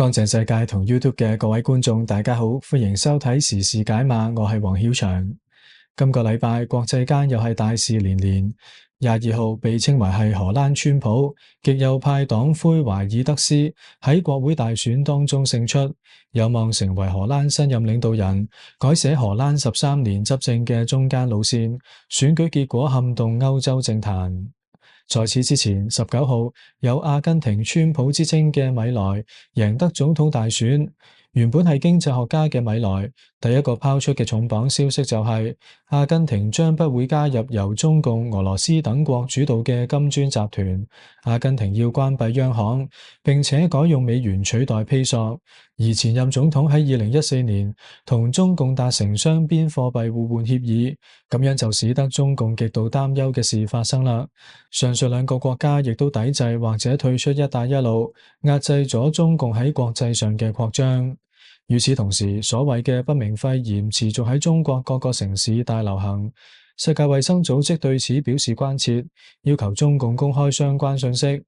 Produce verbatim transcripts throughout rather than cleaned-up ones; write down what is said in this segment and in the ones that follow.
乾淨世界同 YouTube 嘅各位觀眾，大家好，歡迎收睇時事解碼，我係黃曉翔。今個禮拜國際間又係大事連連。廿二號被稱為係荷蘭川普，極右派黨魁懷爾德斯喺國會大選當中勝出，有望成為荷蘭新任領導人，改寫荷蘭十三年執政嘅中間路線。選舉結果撼動歐洲政壇。在此之前，十九號有阿根廷川普之稱嘅米萊贏得總統大選。原本係經濟學家嘅米萊，第一個拋出嘅重磅消息就係阿根廷將不會加入由中共、俄羅斯等國主導嘅金磚集團。阿根廷要關閉央行，並且改用美元取代披索。而前任總統喺二零一四年同中共達成雙邊貨幣互換協議，咁樣就使得中共極度擔憂嘅事發生啦。上述兩個國家亦都抵制或者退出一帶一路，壓制咗中共喺國際上嘅擴張。與此同時，所謂嘅不明肺炎持續喺中國各個城市大流行。世界衛生組織對此表示關切，要求中共公開相關信息。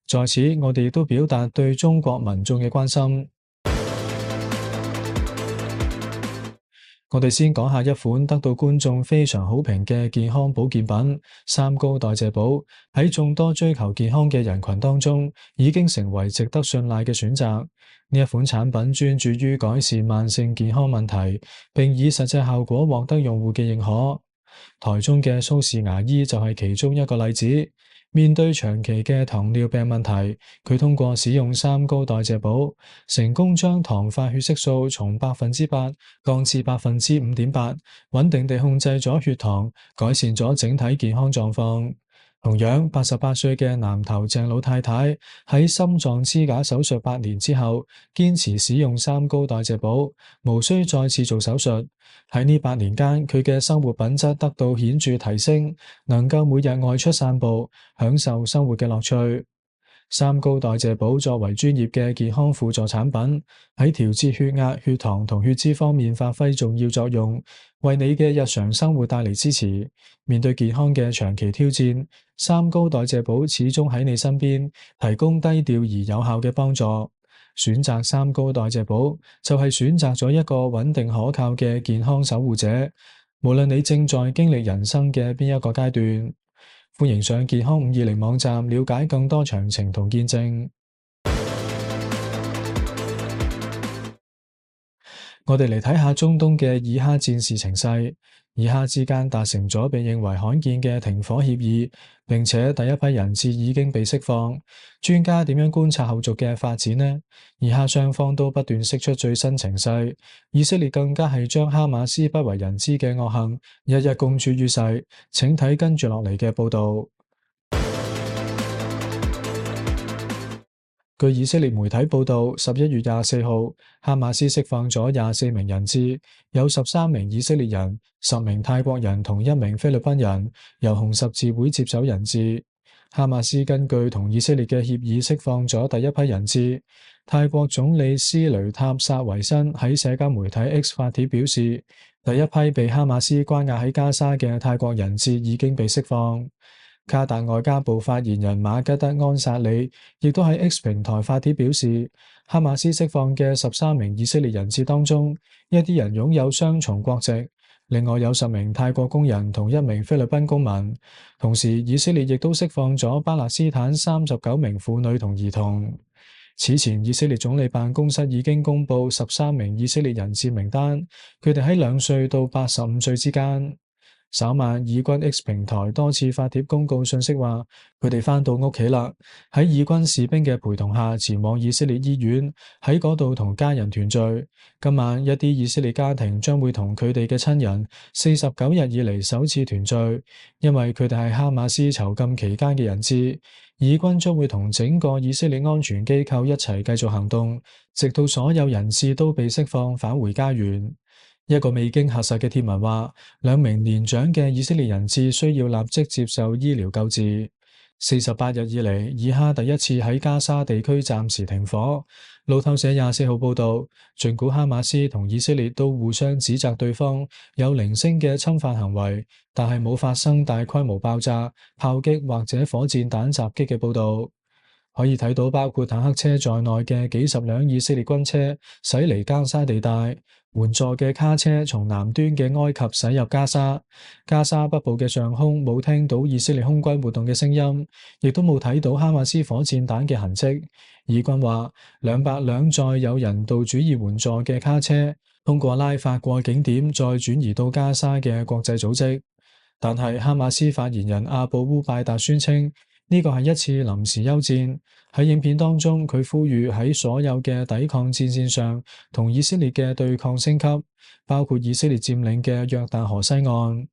在此，我哋亦都表達對中國民眾嘅關心。我哋先講下一款得到觀眾非常好評嘅健康保健品——三高代謝寶，喺眾多追求健康嘅人群當中，已經成為值得信賴嘅選擇。呢一款產品專注於改善慢性健康問題，並以實際效果獲得用戶嘅認可。台中嘅蘇氏牙醫就係其中一個例子。面對長期嘅糖尿病問題，佢通過使用三高代謝寶，成功將糖化血色素從百分之八降至百分之五點八，穩定地控制咗血糖，改善咗整體健康狀況。同樣，八十八歲嘅南投鄭老太太喺心臟支架手術八年之後，堅持使用三高代謝寶，無需再次做手術。喺呢八年間，佢嘅生活品質得到顯著提升，能夠每日外出散步，享受生活嘅樂趣。三高代謝寶作為專業嘅健康輔助產品，喺調節血壓、血糖同血脂方面發揮重要作用，為你嘅日常生活帶嚟支持。面對健康嘅長期挑戰，三高代謝寶始終喺你身邊，提供低調而有效嘅幫助。選擇三高代謝寶，就係選擇咗一個穩定可靠嘅健康守護者。無論你正在經歷人生嘅邊一個階段，歡迎上健康五二零網站了解更多詳情同見證。我哋嚟睇下中東嘅以哈戰事情勢。以哈之間達成咗被認為罕見嘅停火協議，並且第一批人質已經被釋放。專家點樣觀察後續嘅發展呢？以哈雙方都不斷釋出最新情勢，以色列更加係將哈馬斯不為人知嘅惡行一一公諸於世。請睇跟住落嚟嘅報道。據以色列媒體報道，十一月廿四號，哈馬斯釋放咗廿四名人質，有十三名以色列人、十名泰國人同一名菲律賓人，由紅十字會接手人質。哈馬斯根據同以色列嘅協議釋放咗第一批人質。泰國總理斯雷塔薩維辛喺社交媒體 X 發帖表示，第一批被哈馬斯關押喺加沙嘅泰國人質已經被釋放。卡達外交部發言人馬吉德安薩里亦都喺 X 平台發帖表示，哈馬斯釋放嘅十三名以色列人質當中，一啲人擁有雙重國籍，另外有十名泰國工人同一名菲律賓公民。同時，以色列亦都釋放咗巴勒斯坦三十九名婦女同兒童。此前，以色列總理辦公室已經公布十三名以色列人質名單，佢哋喺兩歲到八十五歲之間。稍晚，以軍 X 平台多次發帖公告信息話，佢哋返到屋企啦，喺以軍士兵嘅陪同下前往以色列醫院，喺嗰度同家人團聚。今晚一啲以色列家庭將會同佢哋嘅親人四十九日以嚟首次團聚，因為佢哋係哈馬斯囚禁期間嘅人質。以軍將會同整個以色列安全機構一齊繼續行動，直到所有人質都被釋放返回家園。一個未經核實嘅貼文話，兩名年長嘅以色列人質需要立即接受醫療救治。四十八日以嚟，以哈第一次喺加沙地區暫時停火。路透社廿四號報道，儘管哈馬斯同以色列都互相指責對方有零星嘅侵犯行為，但係冇發生大規模爆炸、炮擊或者火箭彈襲擊嘅報道。可以睇到包括坦克車在內嘅幾十輛以色列軍車駛離加沙地帶，援助嘅卡車從南端嘅埃及駛入加沙。加沙北部嘅上空冇聽到以色列空軍活動嘅聲音，亦都冇睇到哈馬斯火箭彈嘅痕跡。以軍話，兩百輛載有人道主義援助嘅卡車通過拉法過境點，再轉移到加沙嘅國際組織。但係哈馬斯發言人阿布烏拜達宣稱，呢個係一次臨時休戰。喺影片當中，佢呼籲喺所有嘅抵抗戰線上同以色列嘅對抗升級，包括以色列佔領嘅約旦河西岸。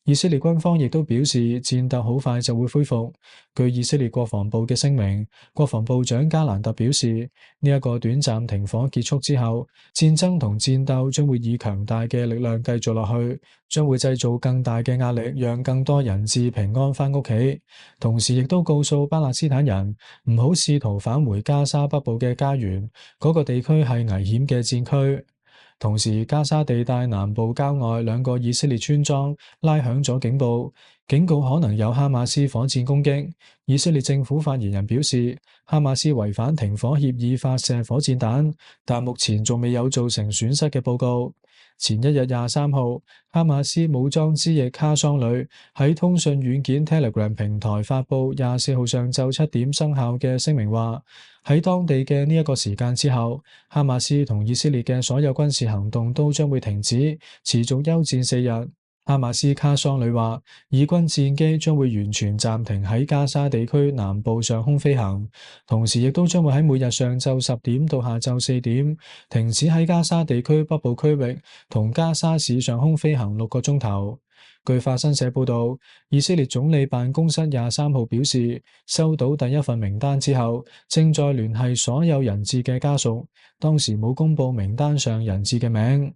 以色列軍方亦都表示，戰鬥好快就會恢復。據以色列國防部嘅聲明，國防部長加蘭特表示，呢一個短暫停火結束之後，戰爭同戰鬥將會以強大嘅力量繼續落去，將會製造更大嘅壓力，讓更多人質平安返屋企。同時亦都告訴巴勒斯坦人唔好試圖返回加沙北部嘅家園，嗰個地區係危險嘅戰區。同時，加沙地帶南部郊外兩個以色列村莊拉響咗警報，警告可能有哈馬斯火箭攻擊。以色列政府發言人表示，哈馬斯違反停火協議發射火箭彈，但目前仲未有造成損失嘅報告。前一日廿三號，哈馬斯武裝之翼卡桑旅喺通訊軟件 Telegram 平台發布廿四號上晝七點生效嘅聲明，話喺當地嘅呢一個時間之後，哈馬斯同以色列嘅所有軍事行動都將會停止，持續休戰四日。哈馬斯卡桑旅話，以軍戰機將會完全暫停喺加沙地區南部上空飛行，同時亦都將會喺每日上晝十點到下晝四點停止喺加沙地區北部區域同加沙市上空飛行六個鐘頭。據法新社報道，以色列總理辦公室廿三號表示，收到第一份名單之後，正在聯繫所有人質嘅家屬，當時冇公布名單上人質嘅名。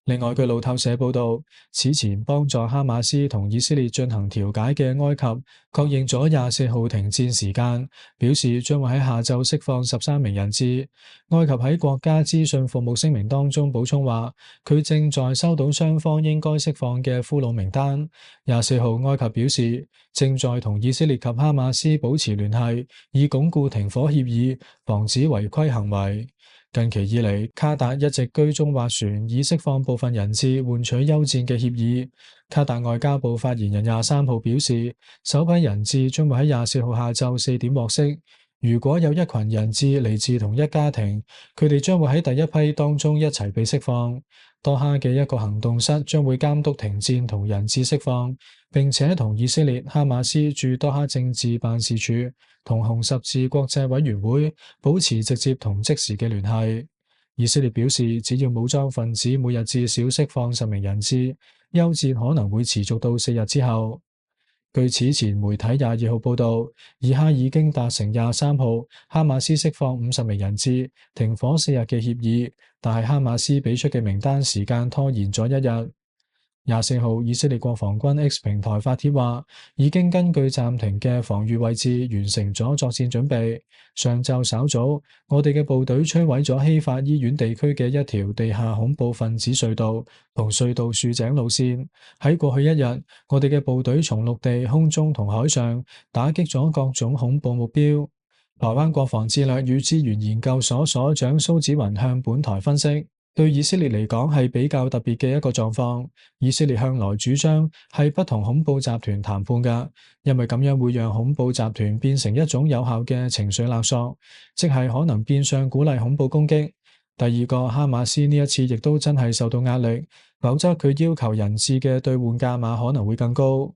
另外，據路透社報道，此前幫助哈馬斯同以色列進行調解嘅埃及確認咗廿四號停戰時間，表示將會喺下晝釋放十三名人質。埃及喺國家資訊服務聲明當中補充話，佢正在收到雙方應該釋放嘅俘虜名單。廿四號，埃及表示正在同以色列及哈馬斯保持聯繫，以鞏固停火協議，防止違規行為。近期以嚟，卡達一直居中斡旋，以釋放部分人質換取休戰嘅協議。卡達外交部發言人廿三號表示，首批人質將會喺廿四號下晝四點獲釋。如果有一群人質嚟自同一家庭，佢哋將會喺第一批當中一齊被釋放。多哈嘅一個行動室將會監督停戰同人質釋放，並且同以色列、哈馬斯駐多哈政治辦事處同紅十字國際委員會保持直接同即時嘅聯繫。以色列表示，只要武裝分子每日至少釋放十名人質，休戰可能會持續到四日之後。據此前媒體廿二號報道，以哈已經達成廿三號哈馬斯釋放五十名人質、停火四日嘅協議，但係哈馬斯俾出嘅名單時間拖延咗一日。廿四號，以色列國防軍 X 平台發帖話，已經根據暫停嘅防禦位置完成咗作戰準備。上晝稍早，我哋嘅部隊摧毀咗希法醫院地區嘅一條地下恐怖分子隧道同隧道豎井路線。喺過去一日，我哋嘅部隊從陸地、空中同海上打擊咗各種恐怖目標。台灣國防戰略與資源研究所所長蘇紫雲向本台分析，對以色列嚟講係比較特別嘅一個狀況。以色列向來主張係不同恐怖集團談判㗎，因為咁樣會讓恐怖集團變成一種有效嘅情緒勒索，即係可能變相鼓勵恐怖攻擊。第二個，哈馬斯呢一次亦都真係受到壓力，否則佢要求人質嘅兌換價碼可能會更高。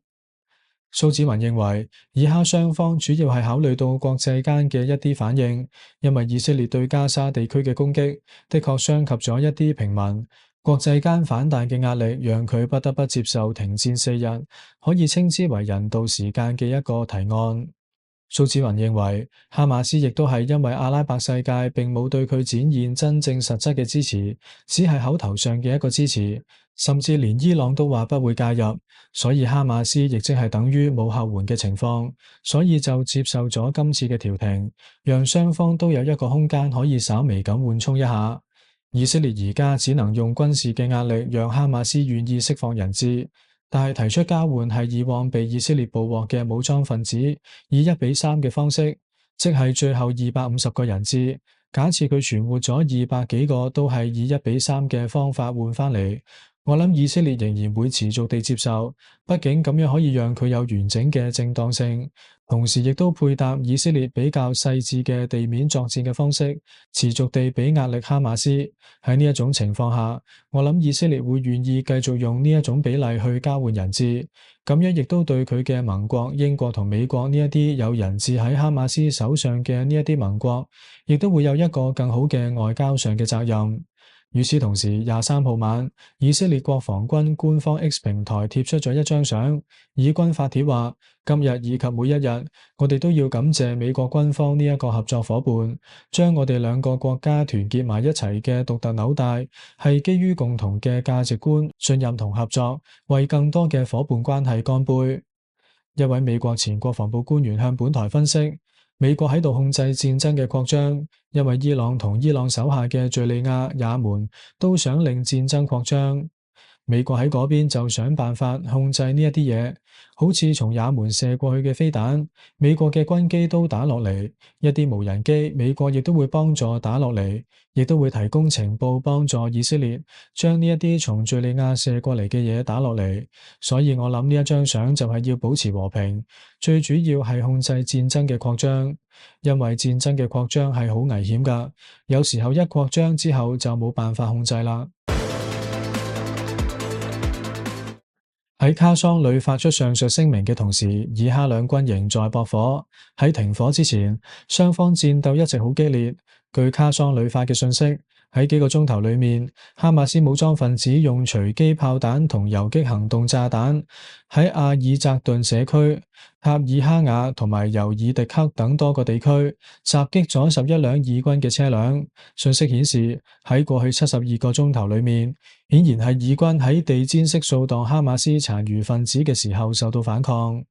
蘇紫雲認為，以哈雙方主要係考慮到國際間嘅一啲反應，因為以色列對加沙地區嘅攻擊的確傷及咗一啲平民，國際間反彈嘅壓力讓佢不得不接受停戰四日，可以稱之為人道時間嘅一個提案。蘇紫雲認為，哈馬斯亦都係因為阿拉伯世界並冇對佢展現真正實質嘅支持，只係口頭上嘅一個支持，甚至連伊朗都話不會介入，所以哈馬斯亦即係等於冇後援嘅情況，所以就接受咗今次嘅調停，讓雙方都有一個空間可以稍微咁緩衝一下。以色列而家只能用軍事嘅壓力讓哈馬斯願意釋放人質。但係提出交換係以往被以色列捕獲嘅武裝分子，以一比三嘅方式，即係最後二百五十個人質。假設佢存活咗二百幾個，都係以一比三嘅方法換翻嚟。我諗以色列仍然會持續地接受，畢竟咁樣可以讓佢有完整嘅正當性，同時亦都配搭以色列比較細緻嘅地面作戰嘅方式，持續地俾壓力哈馬斯。喺呢一種情況下，我諗以色列會願意繼續用呢一種比例去交換人質，咁樣亦都對佢嘅盟國英國同美國呢一啲有人質喺哈馬斯手上嘅呢一啲盟國，亦都會有一個更好嘅外交上嘅責任。與此同時，廿三號晚，以色列國防軍官方 X 平台貼出咗一張相，以軍發帖話：今日以及每一日，我哋都要感謝美國軍方呢一個合作夥伴，將我哋兩個國家團結埋一齊嘅獨特紐帶，係基於共同嘅價值觀、信任同合作，為更多嘅夥伴關係乾杯。一位美國前國防部官員向本台分析，美國喺度控制戰爭嘅擴張，因為伊朗同伊朗手下嘅敘利亞、也門都想令戰爭擴張。美國喺嗰邊就想辦法控制呢一啲嘢，好似從也門射過去嘅飛彈，美國嘅軍機都打落嚟，一啲無人機，美國亦都會幫助打落嚟，亦都會提供情報幫助以色列將呢一啲從敘利亞射過嚟嘅嘢打落嚟。所以我諗呢一張相就係要保持和平，最主要係控制戰爭嘅擴張，因為戰爭嘅擴張係好危險㗎，有時候一擴張之後就冇辦法控制啦。喺卡桑旅發出上述聲明嘅同時，以哈兩軍仍在駁火。喺停火之前，雙方戰鬥一直好激烈。據卡桑旅發嘅信息，喺幾個鐘頭裏面，哈馬斯武裝分子用隨機炮彈同游擊行動炸彈喺阿爾扎頓社區、塔爾哈瓦同埋尤爾迪克等多個地區襲擊咗十一輛以軍嘅車輛。信息顯示，喺過去七十二個鐘頭裏面，顯然係以軍喺地毯式掃蕩哈馬斯殘餘分子嘅時候受到反抗。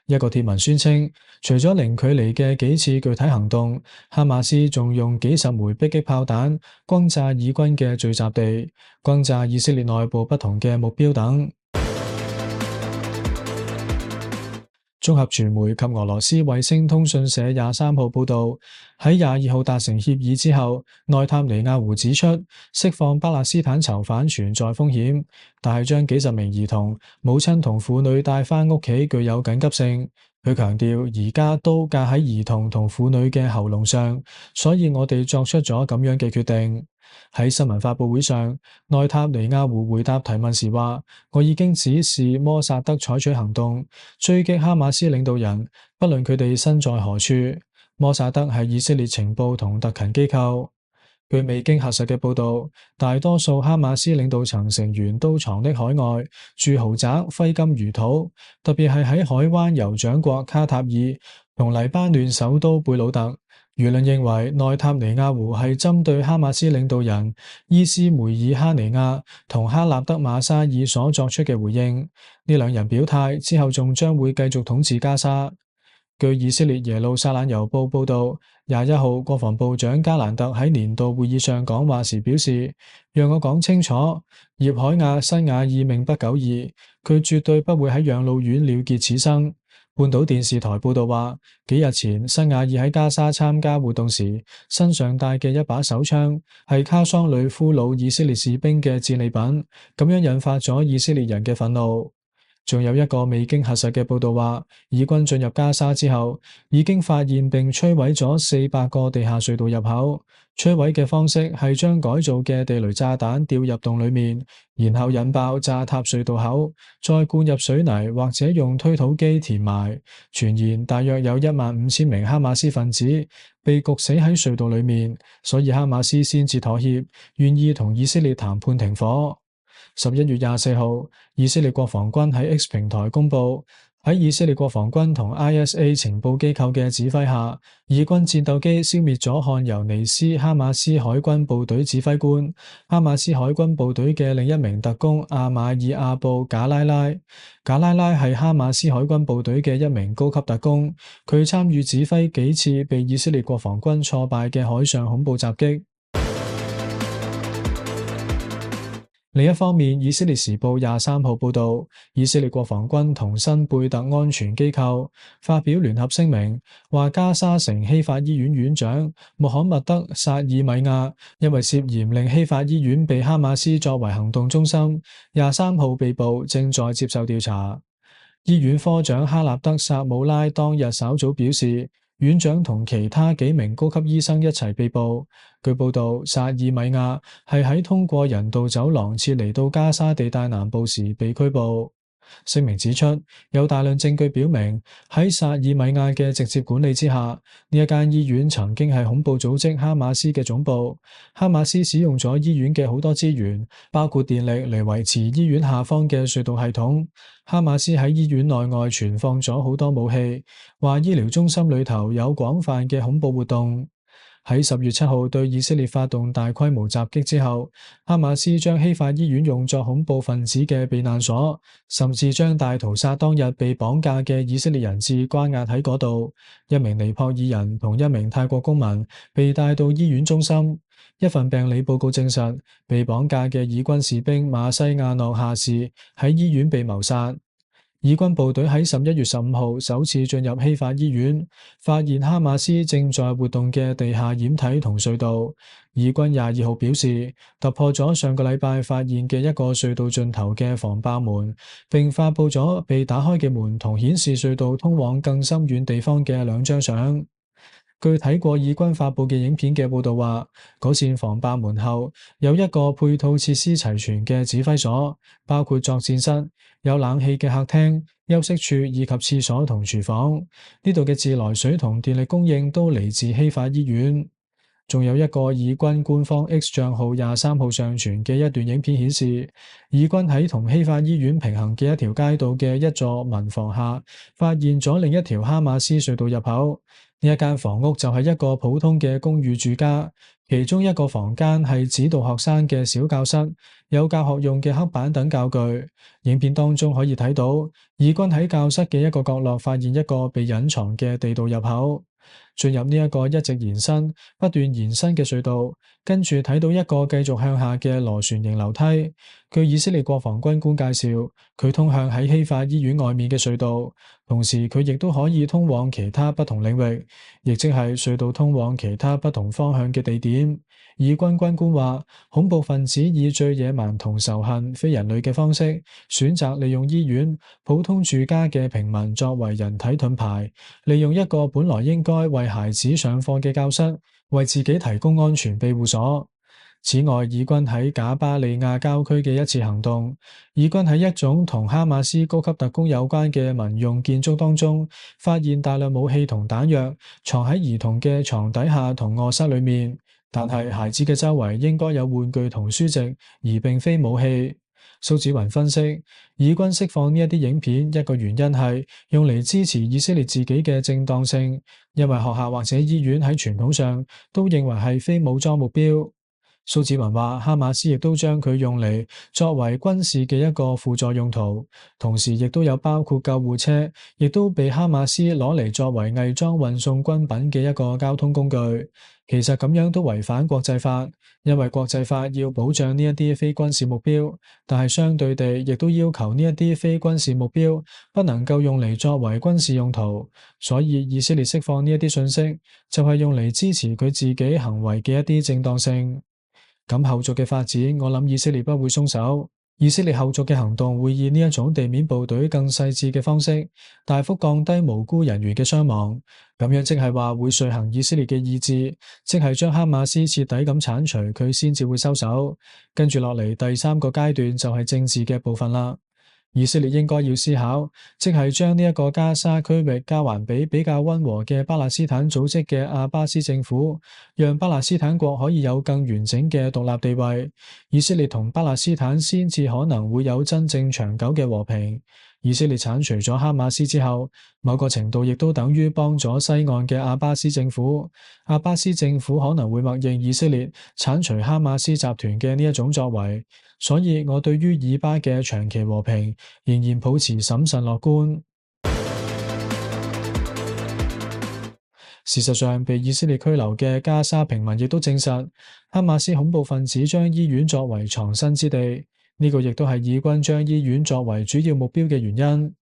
一個貼文宣稱，除咗零距離嘅幾次具體行動，哈馬斯仲用幾十枚迫擊炮彈轟炸以軍嘅聚集地，轟炸以色列內部不同嘅目標等。綜合傳媒及俄羅斯衛星通訊社廿三號報道，喺廿二號達成協議之後，內塔尼亞胡指出，釋放巴勒斯坦囚犯存在風險，但係將幾十名兒童、母親同婦女帶返屋企具有緊急性。佢強調，而家刀架喺兒童同婦女嘅喉嚨上，所以我哋作出咗咁樣嘅決定。喺新聞發佈會上，內塔尼亞胡回答提問時話：我已經指示摩薩德採取行動，追擊哈馬斯領導人，不論佢哋身在何處。摩薩德係以色列情報同特勤機構。據未經核實嘅報道，大多數哈馬斯領導層成員都藏匿海外，住豪宅，揮金如土，特別係喺海灣酋長國卡塔爾同黎巴嫩首都貝魯特。輿論認為內塔尼亞胡係針對哈馬斯領導人伊斯梅爾哈尼亞同哈納德馬沙爾所作出嘅回應。呢兩人表態之後，仲將會繼續統治加沙。據以色列耶路撒冷郵報報道，廿一號國防部長加蘭特喺年度會議上講話時表示：讓我講清楚，葉海亞辛瓦爾命不久矣，佢絕對不會喺養老院了結此生。半島電視台報道話，幾日前辛瓦爾喺加沙參加活動時，身上帶嘅一把手槍係卡桑旅俘虜以色列士兵嘅戰利品，咁樣引發咗以色列人嘅憤怒。仲有一個未經核實嘅報道話，以軍進入加沙之後，已經發現並摧毀咗四百個地下隧道入口。摧毀嘅方式係將改造嘅地雷炸彈掉入洞裏面，然後引爆炸塌隧道口，再灌入水泥或者用推土機填埋。傳言大約有一萬五千名哈馬斯分子被焗死喺隧道裏面，所以哈馬斯先至妥協，願意同以色列談判停火。十一月廿四號，以色列國防軍喺 X 平台公佈，喺以色列國防軍同 I S A 情報機構嘅指揮下，以軍戰鬥機消滅咗漢尤尼斯哈馬斯海軍部隊指揮官、哈馬斯海軍部隊嘅另一名特工阿馬爾阿布賈拉拉。賈拉拉係哈馬斯海軍部隊嘅一名高級特工，佢參與指揮幾次被以色列國防軍挫敗嘅海上恐怖襲擊。另一方面，以色列時報廿三號報道，以色列國防軍同新貝特安全機構發表聯合聲明，話加沙城希法醫院院長穆罕默德·薩爾米亞因為涉嫌令希法醫院被哈馬斯作為行動中心，廿三號被捕，正在接受調查。醫院科長哈納德·薩姆拉當日稍早表示，院長同其他幾名高級醫生一齊被捕。據報道，薩爾米亞係喺通過人道走廊撤離到加沙地帶南部時被拘捕。聲明指出，有大量證據表明喺薩爾米亞嘅直接管理之下，呢一間醫院曾經係恐怖組織哈馬斯嘅總部。哈馬斯使用咗醫院嘅好多資源，包括電力嚟維持醫院下方嘅隧道系統。哈馬斯喺醫院內外存放咗好多武器，話醫療中心裏頭有廣泛嘅恐怖活動。喺十月七號對以色列發動大規模襲擊之後，哈馬斯將希法醫院用作恐怖分子嘅避難所，甚至將大屠殺當日被綁架嘅以色列人質關押喺嗰度。一名尼泊爾人同一名泰國公民被帶到醫院中心。一份病理報告證實，被綁架嘅以軍士兵馬西亞諾下士喺醫院被謀殺。以軍部隊喺十一月十五號首次進入希法醫院，發現哈馬斯正在活動嘅地下掩體同隧道。以軍廿二號表示，突破咗上個禮拜發現嘅一個隧道盡頭嘅防爆門，並發佈咗被打開嘅門同顯示隧道通往更深遠地方嘅兩張相。據睇過以軍發佈嘅影片嘅報道話，嗰扇防爆門後有一個配套設施齊全嘅指揮所，包括作戰室、有冷氣嘅客廳、休息處以及廁所同廚房。呢度嘅自來水同電力供應都嚟自希法醫院。仲有一個以軍官方 X 賬號廿三號上傳嘅一段影片顯示，以軍喺同希法醫院平行嘅一條街道嘅一座民房下，發現咗另一條哈馬斯隧道入口。呢一間房屋就係一個普通嘅公寓住家，其中一個房間係指導學生嘅小教室，有教學用嘅黑板等教具。影片當中可以睇到，以軍喺教室嘅一個角落發現一個被隱藏嘅地道入口。進入呢一個一直延伸、不斷延伸嘅隧道，跟住睇到一個繼續向下嘅螺旋形樓梯。據以色列國防軍官介紹，佢通向喺希法醫院外面嘅隧道，同時佢亦都可以通往其他不同領域，亦即係隧道通往其他不同方向嘅地點。以軍軍官話，恐怖分子以最野蠻同仇恨、非人類嘅方式，選擇利用醫院、普通住家嘅平民作為人體盾牌，利用一個本來應該為孩子上課嘅教室，為自己提供安全庇護所。此外，以軍喺賈巴利亞郊區嘅一次行動，以軍喺一種同哈馬斯高級特工有關嘅民用建築當中，發現大量武器同彈藥，藏喺兒童嘅床底下同臥室裏面。但係孩子嘅周圍應該有玩具同書籍，而並非武器。蘇子雲分析，以軍釋放呢一啲影片，一個原因係用嚟支持以色列自己嘅正當性，因為學校或者醫院喺傳統上都認為係非武裝目標。蘇子文話，哈馬斯亦都將佢用嚟作為軍事嘅一個輔助用途，同時亦都有包括救護車，亦都被哈馬斯攞嚟作為偽裝運送軍品嘅一個交通工具。其實咁樣都違反國際法，因為國際法要保障呢一啲非軍事目標，但係相對地亦都要求呢一啲非軍事目標不能夠用嚟作為軍事用途。所以以色列釋放呢一啲信息，就係用嚟支持佢自己行為嘅一啲正當性。咁後續嘅發展，我諗以色列不會鬆手。以色列後續嘅行動會以呢一種地面部隊更細緻嘅方式，大幅降低無辜人員嘅傷亡。咁樣即係話會遂行以色列嘅意志，即係將哈馬斯徹底咁鏟除，佢先至會收手。跟住落嚟第三個階段就係政治嘅部分啦。以色列應該要思考，即係將呢一個加沙區域交還俾比較溫和嘅巴勒斯坦組織嘅阿巴斯政府，讓巴勒斯坦國可以有更完整嘅獨立地位，以色列同巴勒斯坦先至可能會有真正長久嘅和平。以色列鏟除咗哈馬斯之後，某個程度亦都等於幫咗西岸嘅阿巴斯政府。阿巴斯政府可能會默認以色列鏟除哈馬斯集團嘅呢一種作為，所以我對於以巴嘅長期和平仍然保持審慎樂觀。事實上，被以色列拘留嘅加沙平民亦都證實，哈馬斯恐怖分子將醫院作為藏身之地。呢個亦都係以軍將醫院作為主要目標嘅原因。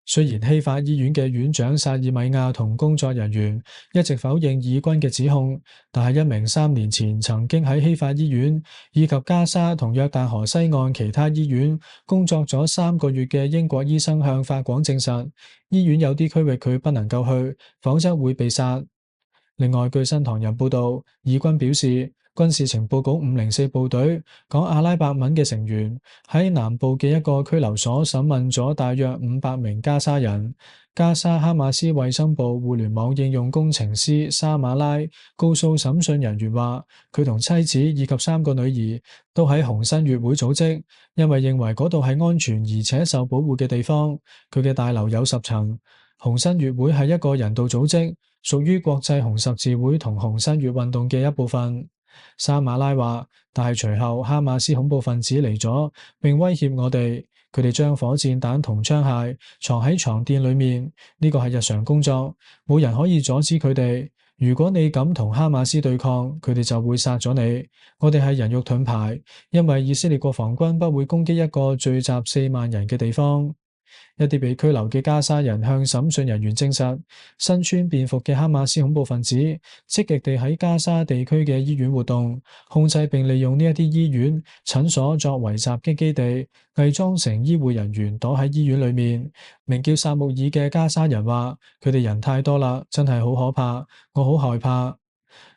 雖然希法醫院嘅院長薩爾米亞同工作人員一直否認以軍嘅指控，但係一名三年前曾經喺希法醫院以及加沙同約旦河西岸其他醫院工作咗三個月嘅英國醫生向法廣證實，醫院有啲區域佢不能夠去，否則會被殺。另外，據新唐人報道，以軍表示，軍事情報局五零四部隊講阿拉伯文嘅成員喺南部嘅一個拘留所審問咗大約五百名加沙人。加沙哈馬斯衛生部互聯網應用工程師沙馬拉告訴審訊人員話，佢同妻子以及三個女兒都喺紅新月會組織，因為認為嗰度係安全而且受保護嘅地方。佢嘅大樓有十層。紅新月會係一個人道組織，屬於國際紅十字會同紅新月運動嘅一部分。沙馬拉話，但係隨後哈馬斯恐怖分子嚟咗，並威脅我哋，佢哋將火箭彈同槍械藏喺床墊裏面，呢個係日常工作，冇人可以阻止佢哋。如果你敢同哈馬斯對抗，佢哋就會殺咗你。我哋係人肉盾牌，因為以色列國防軍不會攻擊一個聚集四萬人嘅地方。一啲被拘留嘅加沙人向審訊人員證實，身穿便服嘅哈馬斯恐怖分子積極地喺加沙地區嘅醫院活動，控制並利用呢一啲醫院、診所作為襲擊基地，偽裝成醫護人員躲喺醫院裏面。名叫薩穆爾嘅加沙人話：佢哋人太多啦，真係好可怕，我好害怕。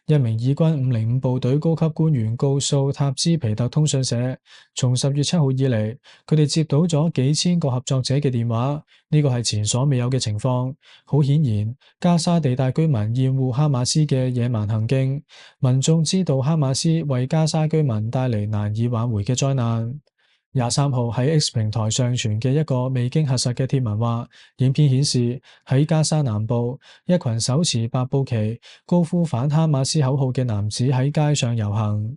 一名以軍五零五部隊高級官員告訴塔茲皮特通訊社，從十月七號以嚟，佢哋接到咗幾千個合作者嘅電話，呢個係前所未有嘅情況。好顯然，加沙地帶居民厭惡哈馬斯嘅野蠻行徑，民眾知道哈馬斯為加沙居民帶嚟難以挽回嘅災難。廿三號喺 X 平台上傳嘅一個未經核實嘅貼文話，影片顯示喺加沙南部，一群手持白布旗、高呼反哈馬斯口號嘅男子喺街上遊行。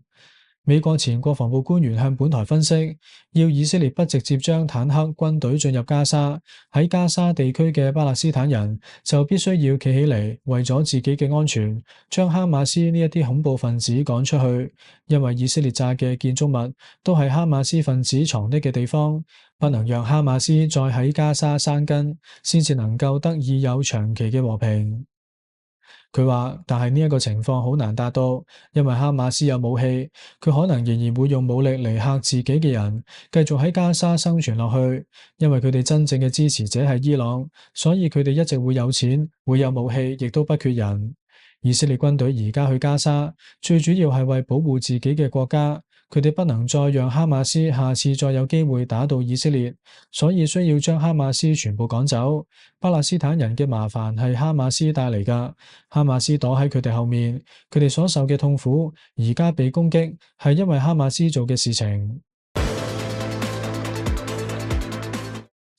美國前國防部官員向本台分析，要以色列不直接將坦克軍隊進入加沙，喺加沙地區嘅巴勒斯坦人就必須要企起嚟，為咗自己嘅安全，將哈馬斯呢一啲恐怖分子趕出去，因為以色列炸嘅建築物都係哈馬斯分子藏匿嘅地方，不能讓哈馬斯再喺加沙生根，先至能夠得以有長期嘅和平。佢話，但係呢一個情況好難達到，因為哈馬斯有武器，佢可能仍然會用武力嚟嚇自己嘅人，繼續喺加沙生存落去。因為佢哋真正嘅支持者係伊朗，所以佢哋一直會有錢，會有武器，亦都不缺人。以色列軍隊而家去加沙，最主要係為保護自己嘅國家。佢哋不能再讓哈馬斯下次再有機會打到以色列，所以需要將哈馬斯全部趕走。巴勒斯坦人嘅麻煩係哈馬斯帶嚟㗎，哈馬斯躲喺佢哋後面，佢哋所受嘅痛苦，而家被攻擊係因為哈馬斯做嘅事情。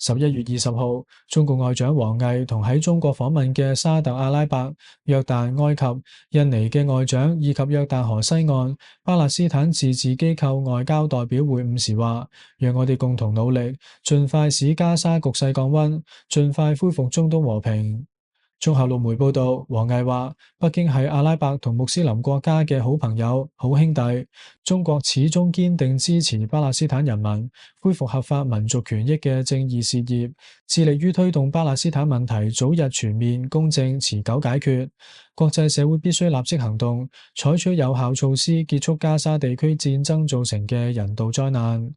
十一月二十號，中共外長王毅同喺中國訪問嘅沙特阿拉伯、約旦、埃及、印尼嘅外長以及約旦河西岸巴勒斯坦自治機構外交代表會晤時話，讓我哋共同努力，盡快使加沙局勢降溫，盡快恢復中東和平。綜合陸媒報道，王毅話：北京係阿拉伯同穆斯林國家嘅好朋友、好兄弟。中國始終堅定支持巴勒斯坦人民恢復合法民族權益嘅正義事業，致力於推動巴勒斯坦問題早日全面、公正、持久解決。國際社會必須立即行動，採取有效措施，結束加沙地區戰爭造成嘅人道災難。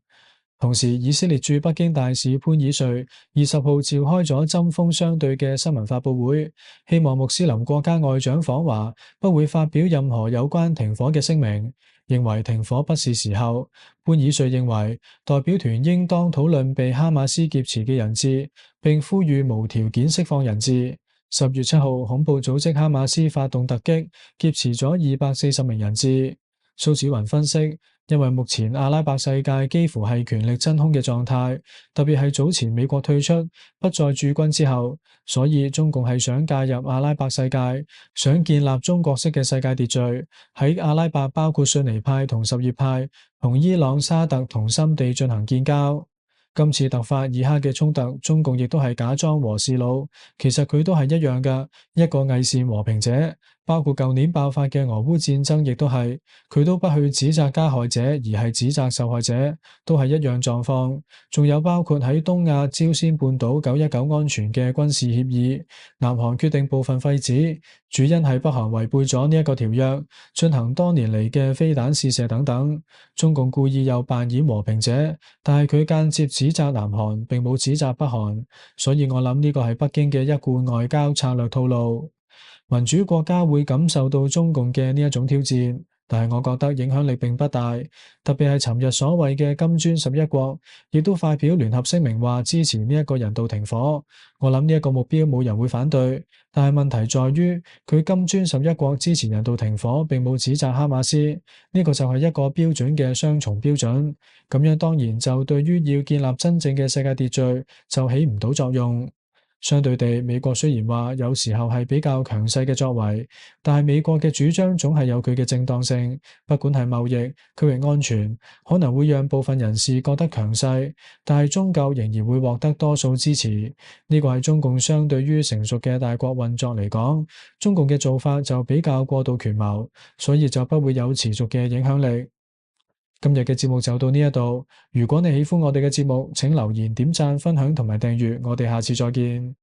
同時，以色列駐北京大使潘以瑞二十號召開咗針鋒相對嘅新聞發佈會，希望穆斯林國家外長訪華不會發表任何有關停火嘅聲明，認為停火不是時候。潘以瑞認為代表團應當討論被哈馬斯劫持嘅人質，並呼籲無條件釋放人質。十月七號，恐怖組織哈馬斯發動突擊，劫持咗二百四十名人質。蘇子雲分析，因為目前阿拉伯世界幾乎係權力真空嘅狀態，特別係早前美國退出不再駐軍之後，所以中共係想介入阿拉伯世界，想建立中國式嘅世界秩序。喺阿拉伯包括遜尼派同什葉派，同伊朗、沙特同心地進行建交。今次突發爾克嘅衝突，中共亦都係假裝和事佬，其實佢都係一樣㗎，一個偽善和平者。包括舊年爆發嘅俄烏戰爭，亦都係，佢都不去指責加害者，而係指責受害者，都係一樣狀況。仲有包括喺東亞朝鮮半島九一九安全嘅軍事協議，南韓決定部分廢止，主因係北韓違背咗呢一個條約，進行多年嚟嘅飛彈試射等等。中共故意又扮演和平者，但係佢間接指責南韓，並冇指責北韓，所以我諗呢個係北京嘅一貫外交策略套路。民主國家會感受到中共嘅呢一種挑戰，但係我覺得影響力並不大。特別係尋日所謂嘅金磚十一國，亦都發表聯合聲明話支持呢一個人道停火。我諗呢一個目標冇人會反對，但係問題在於佢金磚十一國支持人道停火，並冇指責哈馬斯，呢個就係一個標準嘅雙重標準。咁樣當然就對於要建立真正嘅世界秩序就起唔到作用。相對地，美國雖然話有時候係比較強勢嘅作為，但係美國嘅主張總係有佢嘅正當性。不管係貿易、區域安全，可能會讓部分人士覺得強勢，但係終究仍然會獲得多數支持。呢個係中共相對於成熟嘅大國運作嚟講，中共嘅做法就比較過度權謀，所以就不會有持續嘅影響力。今日嘅節目就到呢一度，如果你喜歡我哋嘅節目，請留言、點讚、分享同埋訂閱，我哋下次再見。